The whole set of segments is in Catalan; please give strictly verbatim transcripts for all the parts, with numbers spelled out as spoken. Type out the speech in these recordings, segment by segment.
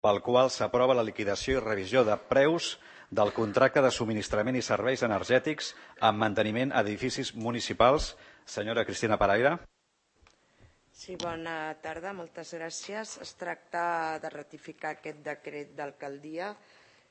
pel qual s'aprova la liquidació i revisió de preus del contracte de subministrament i serveis energètics amb manteniment a edificis municipals. Senyora Cristina Paraire. Sí, bona tarda, moltes gràcies. Es tracta de ratificar aquest decret d'alcaldia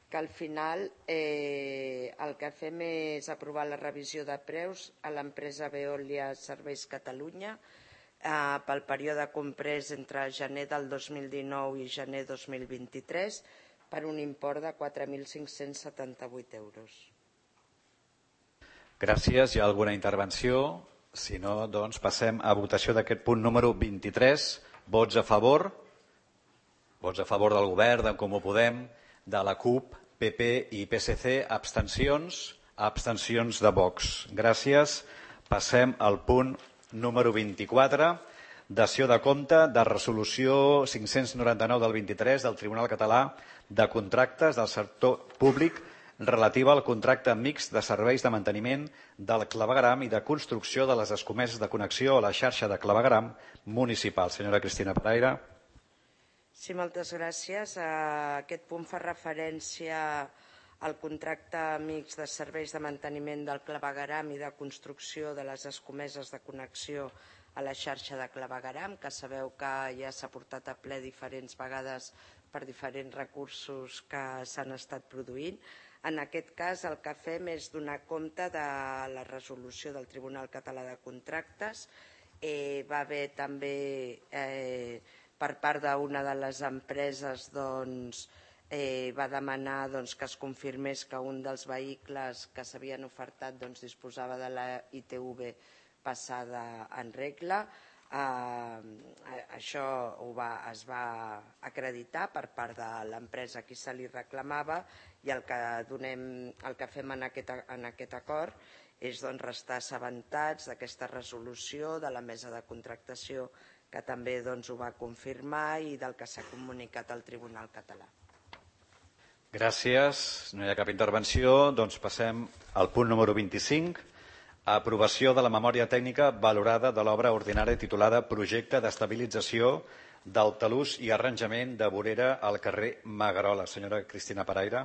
que al final eh, el que fem és aprovar la revisió de preus a l'empresa Veolia Serveis Catalunya eh, pel període comprès entre gener del dos mil dinou i gener dos mil vint-i-tres per un import de quatre mil cinc-cents setanta-vuit euros. Gràcies. Hi ha alguna intervenció? Si no, doncs passem a votació d'aquest punt número vint-i-tres. Vots a favor? Vots a favor del govern, d'en Comú Podem, de la CUP, P P i P S C. Abstencions? Abstencions de Vox. Gràcies. Passem al punt número vint-i-quatre. Dació de compte de resolució cinc-cents noranta-nou del vint-i-tres del Tribunal Català de Contractes del Sector Públic relativa al contracte mixt de serveis de manteniment del clavegueram i de construcció de les escomeses de connexió a la xarxa de clavegueram municipal. Senyora Cristina Paraire. Sí, moltes gràcies. Aquest punt fa referència al contracte mixt de serveis de manteniment del clavegueram i de construcció de les escomeses de connexió a la xarxa de clavegueram, que sabeu que ja s'ha portat a ple diferents vegades per diferents recursos que s'han estat produint. En aquest cas, el que fem és donar compte de la resolució del Tribunal Català de Contractes. Eh, va haver també, eh, per part d'una de les empreses, doncs, eh, va demanar doncs, que es confirmés que un dels vehicles que s'havien ofertat doncs, disposava de la I T V passada en regla. Eh, això ho va, es va acreditar per part de l'empresa a qui se li reclamava i el que, donem, el que fem en aquest, en aquest acord és doncs, restar assabentats d'aquesta resolució de la mesa de contractació que també doncs, ho va confirmar i del que s'ha comunicat al Tribunal Català. Gràcies. No hi ha cap intervenció. Doncs passem al punt número vint-i-cinc. Aprovació de la memòria tècnica valorada de l'obra ordinària titulada Projecte d'estabilització del talús i arranjament de vorera al carrer Magarola. Senyora Cristina Paraire.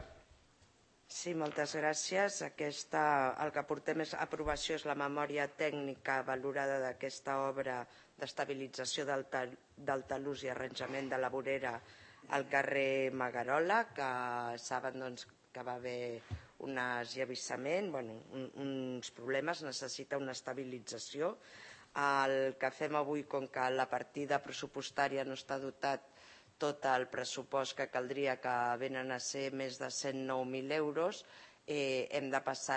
Sí, moltes gràcies. Aquesta, el que portem a aprovació és la memòria tècnica valorada d'aquesta obra d'estabilització del, tal, del talús i arranjament de la vorera al carrer Magarola, que saben doncs, que va haver un esllavissament, bueno, un, uns problemes, necessita una estabilització. El que fem avui, com que la partida pressupostària no està dotat tot el pressupost que caldria, que venen a ser més de cent nou mil euros, eh, hem de passar